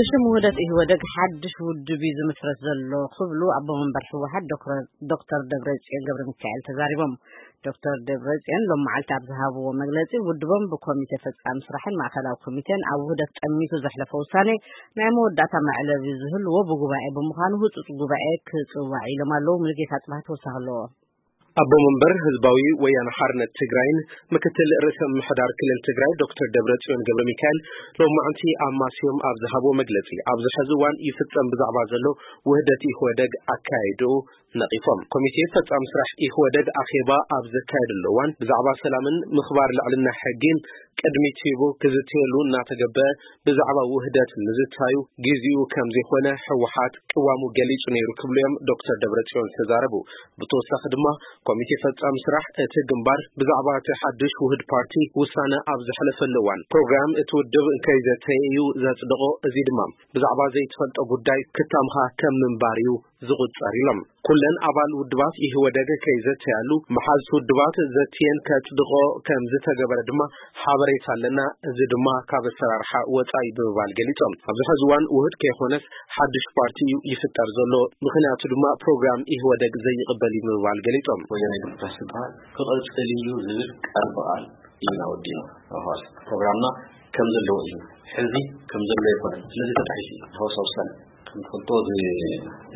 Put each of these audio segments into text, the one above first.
ብሽም ውህደት ኢህወደግ ሓድሽ ውድብ እዩ ዝምስረት ዘሎ ክብሉ ኣቦ መንበር ህወሓት ዶክተር ደብረጽዮን ገብረ ሚካኤል ተዛሪቦም። ዶክተር ደብረጽዮን ሎም መዓልቲ ኣብ ዝሃብዎ መግለጺ፣ ውድቦም ብኮሚቴ ፈጻሚ ስራሕን ማእከላዊ ኮሚቴን ኣብ ውህደት ጠሚቱ ዘሕለፈ ውሳኔ ናይ መወዳእታ መዕለቢ ዝህልዎ ብጉባኤ ብምዃኑ፣ ህጹጽ ጉባኤ ክጽዋዕ ኢሎም ኣለዉ። ሙሉጌታ ጽባህ ተወሳኺ ኣለዎ። ኣቦ መንበር ህዝባዊ ወያነ ሓርነት ትግራይን ምክትል ርእሰ ምምሕዳር ክልል ትግራይ ዶክተር ደብረጽዮን ገብረ ሚካኤል ሎማዕንቲ ኣብ ማስዮም ኣብ ዝሃብዎ መግለጺ፣ ኣብዚ ሕዚ እዋን ይፍጸም ብዛዕባ ዘሎ ውህደት ኢህወደግ ኣካያይድኡ ነቒፎም። ኮሚቴ ፈጻሚ ስራሕ ኢህወደግ ኣኼባ ኣብ ዘካየደሉ እዋን፣ ብዛዕባ ሰላምን ምኽባር ልዕልና ሕጊን ቅድሚት ሂቡ ክዝተየሉ እናተገበ፣ ብዛዕባ ውህደት ምዝታዩ ግዜኡ ከም ዘይኮነ ህወሓት ቅዋሙ ገሊጹ ነይሩ ክብሉ እዮም ዶክተር ደብረጽዮን ዝተዛረቡ። ብተወሳኺ ድማ፣ ኮሚቴ ፈጻሚ ስራሕ እቲ ግንባር ብዛዕባ እቲ ሓድሽ ውህድ ፓርቲ ውሳነ ኣብ ዘሕለፈሉ እዋን፣ ፕሮግራም እቲ ውድብ ከይዘተየ እዩ ዘጽደቖ። እዚ ድማ ብዛዕባ ዘይትፈልጦ ጉዳይ ክታምኻ ከም ምንባር እዩ ዝቑጸር ኢሎም። ኩለን ኣባል ውድባት ኢህወደግ ከይዘተያሉ፣ መሓዝቲ ውድባት ዘትየን ከጽድቖ ከም ዝተገበረ ድማ ሓበሬታ ኣለና። እዚ ድማ ካብ ኣሰራርሓ ወጻኢ ብምባል ገሊጾም። ኣብዚ ሕዚ እዋን ውህድ ከይኮነስ ሓድሽ ፓርቲ እዩ ይፍጠር ዘሎ። ምኽንያቱ ድማ ፕሮግራም ኢህወደግ ዘይቕበል እዩ ብምባል ገሊጾም። ወያነ ዲሞክራሲ ዝበሃል ክቕጽል እዩ ዝብል ቃል ብቓል ኢና ወዲና። ኣብ ሐዋሳ ፕሮግራምና ከም ዘለዎ እዩ። ሕዚ ከም ዘሎ ኣይኮነን። ስለዚ ተጣሒሱ እዩ። ሐዋሳ ውሳነ ከም ትፈልጦ፣ እዚ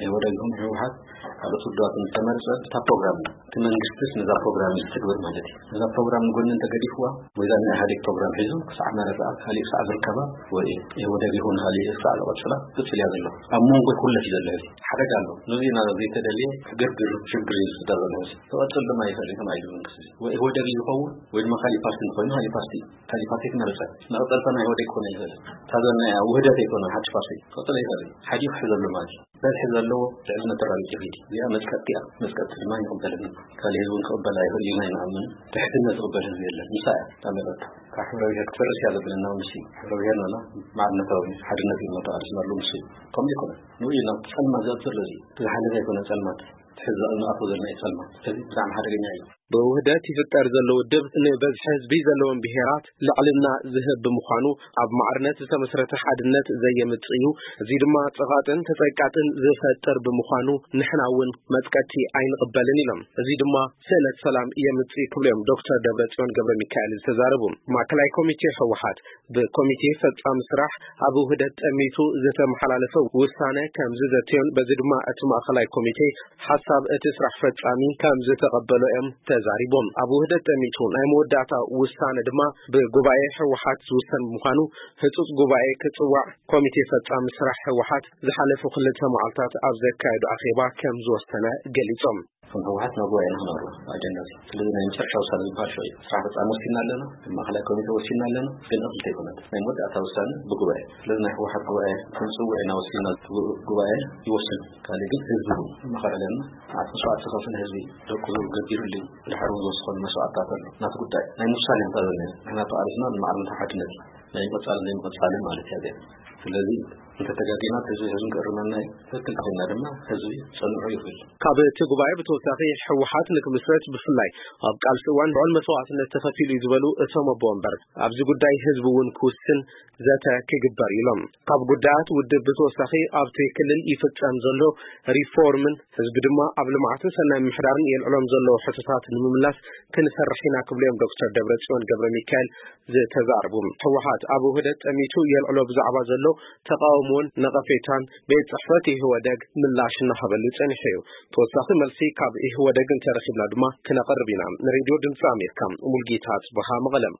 ኢህወደግ ይኹን ህወሓት ካልኦት ውድባት እንተመርጸ፣ እታ ፕሮግራም፣ እቲ መንግስቲስ ነዛ ፕሮግራም እዩ ዝትግብር ማለት እዩ። ነዛ ፕሮግራም ንጎኒ እንተገዲፍዋ፣ ወይ እዛ ናይ ኢህወደግ ፕሮግራም ሒዙ ክሳዕ መረጻ፣ ካሊእ ክሳዕ ዝርከባ፣ ወይ ኢህወደግ ይኹን ካሊእ ክሳዕ ዝቐጽላ፣ ክቅጽል እያ ዘሎ። ኣብ መንጎ ይኩለፍ እዩ ዘሎ። ሕዚ ሓደጋ ኣሎ። ነዚ ኢና ዘይተደልየ ዕግርግር፣ ሽግር እዩ ዝፍጠር ዘሎ። ሕዚ ክቐጽል ድማ ይኽእል እዩ፣ ተባሂሉ መንግስቲ። ወይ ኢህወደግ እዩ ዝኸውን፣ ወይ ድማ ካሊእ ፓርቲ እንተኾይኑ፣ ካሊእ ፓርቲ፣ ካሊእ ፓርቲ ክመርጸ። መቐጸልታ ናይ ኢህወደግ ክኾን ኣይኽእልን። እታ ዘና ውህደት ኣይኮነን፣ ሓድሽ ፓርቲ ክቐጽል ኣይኽእልን። ሓዲኡ ክሕዘሉ ማለት እዩ። በዝሒ ዘለዎ ልዕልነት ተራቢት ይኽእል እዩ። እዚኣ መጽቀጥቲ እያ። መጽቀጥቲ ድማ ይቕበልን። ካልእ ህዝቢ እውን ክቕበል ኣይኽእል ኢና ይንኣምን። ድሕድነት ዝቕበል ህዝቢ የለን። ንሳ እያ እታ መረታ። ካብ ሕብረ ብሔር ክትፈርስ እያ ዘብለና እውን ንሱ እዩ። ሕብረ ብሔር ነና ማዕርነታዊ ሓድነት እዩ እናተቓለስና ኣሎ ንሱ እዩ። ከምኡ ኣይኮነን። ንኡ እዩ ናብ ጸልማት ዘእቱ ዘሎ እዚ። እቲ ዝሓለፈ ኣይኮነን ጸልማት። እቲ ሕዚ ንኣትዎ ዘለና እዩ ጸልማት። ስለዚ ብጣዕሚ ሓደገኛ እዩ። ብውህደት ይፍጠር ዘሎ ውድብ ንበዝሒ ህዝቢ ዘለዎም ብሄራት ልዕልና ዝህብ ብምዃኑ፣ ኣብ ማዕርነት ዝተመስረተ ሓድነት ዘየምጽእ እዩ። እዚ ድማ ጸቓጥን ተጸቃጥን ዝፈጥር ብምዃኑ፣ ንሕና እውን መጽቀቲ ኣይንቕበልን ኢሎም። እዚ ድማ ስእነት ሰላም የምጽእ ክብሉ እዮም ዶክተር ደብረጽዮን ገብረ ሚካኤል ዝተዛረቡ። ማእከላይ ኮሚቴ ህወሓት ብኮሚቴ ፈጻሚ ስራሕ ኣብ ውህደት ጠሚቱ ዝተመሓላለፈ ውሳነ ከም ዝዘተዮን፣ በዚ ድማ እቲ ማእከላይ ኮሚቴ ሓሳብ እቲ ስራሕ ፈጻሚ ከም ዝተቐበሎ እዮም ተዛሪቦም። ኣብ ውህደት ጠሚቱ ናይ መወዳእታ ውሳነ ድማ ብጉባኤ ህወሓት ዝውሰን ብምዃኑ፣ ህጹጽ ጉባኤ ክጽዋዕ ኮሚቴ ፈጻሚ ስራሕ ህወሓት ዝሓለፉ ክልተ መዓልታት ኣብ ዘካየዱ ኣኼባ ከም ዝወሰነ ገሊጾም። ከም ህወሓት ናብ ጉባኤ ንኽነቕርቦ ኣጀንዳ እዚ። ስለዚ ናይ መጨረሻ ውሳነ ዝበሃል ሽዑ እዩ። ስራሕ ፈጻሚ ወሲና ኣለና፣ ከም ማእከላይ ኮሚቴ ወሲና ኣለና፣ ግን እኽልቲ ኣይኮነት። ናይ መወዳእታ ውሳነ ብጉባኤ። ስለዚ ናይ ህወሓት ጉባኤ ክንጽውዕ ኢና ወሲና፣ ጉ-፣ ጉባኤ ይወስን። ካልእ ግን ህዝቢ እውን መኸረ ኣለና። መዓት መስዋዕቲ ዝኸፈለ ህዝቢ ደቁ ገቢሩሉ እዩ። ብድሓር እውን ዝወስኾሉ መስዋዕትታት ኣሎ። ናቲ ጉዳይ ናይ ምውሳን እዮም ጸለና። ንሕና ተቓሊስና ንማዕርነት ሓድነት እዩ። ናይ ምቕጻልን ዘይምቕጻልን ማለት እያ እዚኣ። ስለዚ እንተተጋጊና ህዝቢ ህዝቢ ክእርመና እዩ። ትክክል ኮይና ድማ ህዝቢ ጸንዑ ይብል። ካብ እቲ ጉባኤ ብተወሳኺ ህወሓት ንክምስረት ብፍላይ ኣብ ቃልሲ እዋን ልዑል መስዋዕትነት ተኸፊሉ እዩ ዝበሉ እቶም ኣቦ ወንበር፣ ኣብዚ ጉዳይ ህዝቢ እውን ክውስን ዘተ ክግበር ኢሎም። ካብ ጉዳያት ውድብ ብተወሳኺ ኣብቲ ክልል ይፍጸም ዘሎ ሪፎርምን ህዝቢ ድማ ኣብ ልምዓትን ሰናይ ምምሕዳርን የልዕሎም ዘለዉ ሕቶታት ንምምላስ ክንሰርሕ ኢና ክብሉ እዮም ዶክተር ደብረጽዮን ገብረ ሚካኤል ዝተዛረቡ። ህወሓት ኣብ ውህደት ጠሚቱ የልዕሎ ብዛዕባ ዘሎ ተቃውሞን ነቐፌታን ቤት ጽሕፈት ኢህወደግ ምላሽ እናሃበሉ ጸኒሑ እዩ። ተወሳኺ መልሲ ካብ ኢህወደግ እንተረኺብና ድማ ክነቕርብ ኢና። ንሬድዮ ድምፂ ኣሜሪካ፣ ሙልጌታ ጽበሃ፣ መቐለም።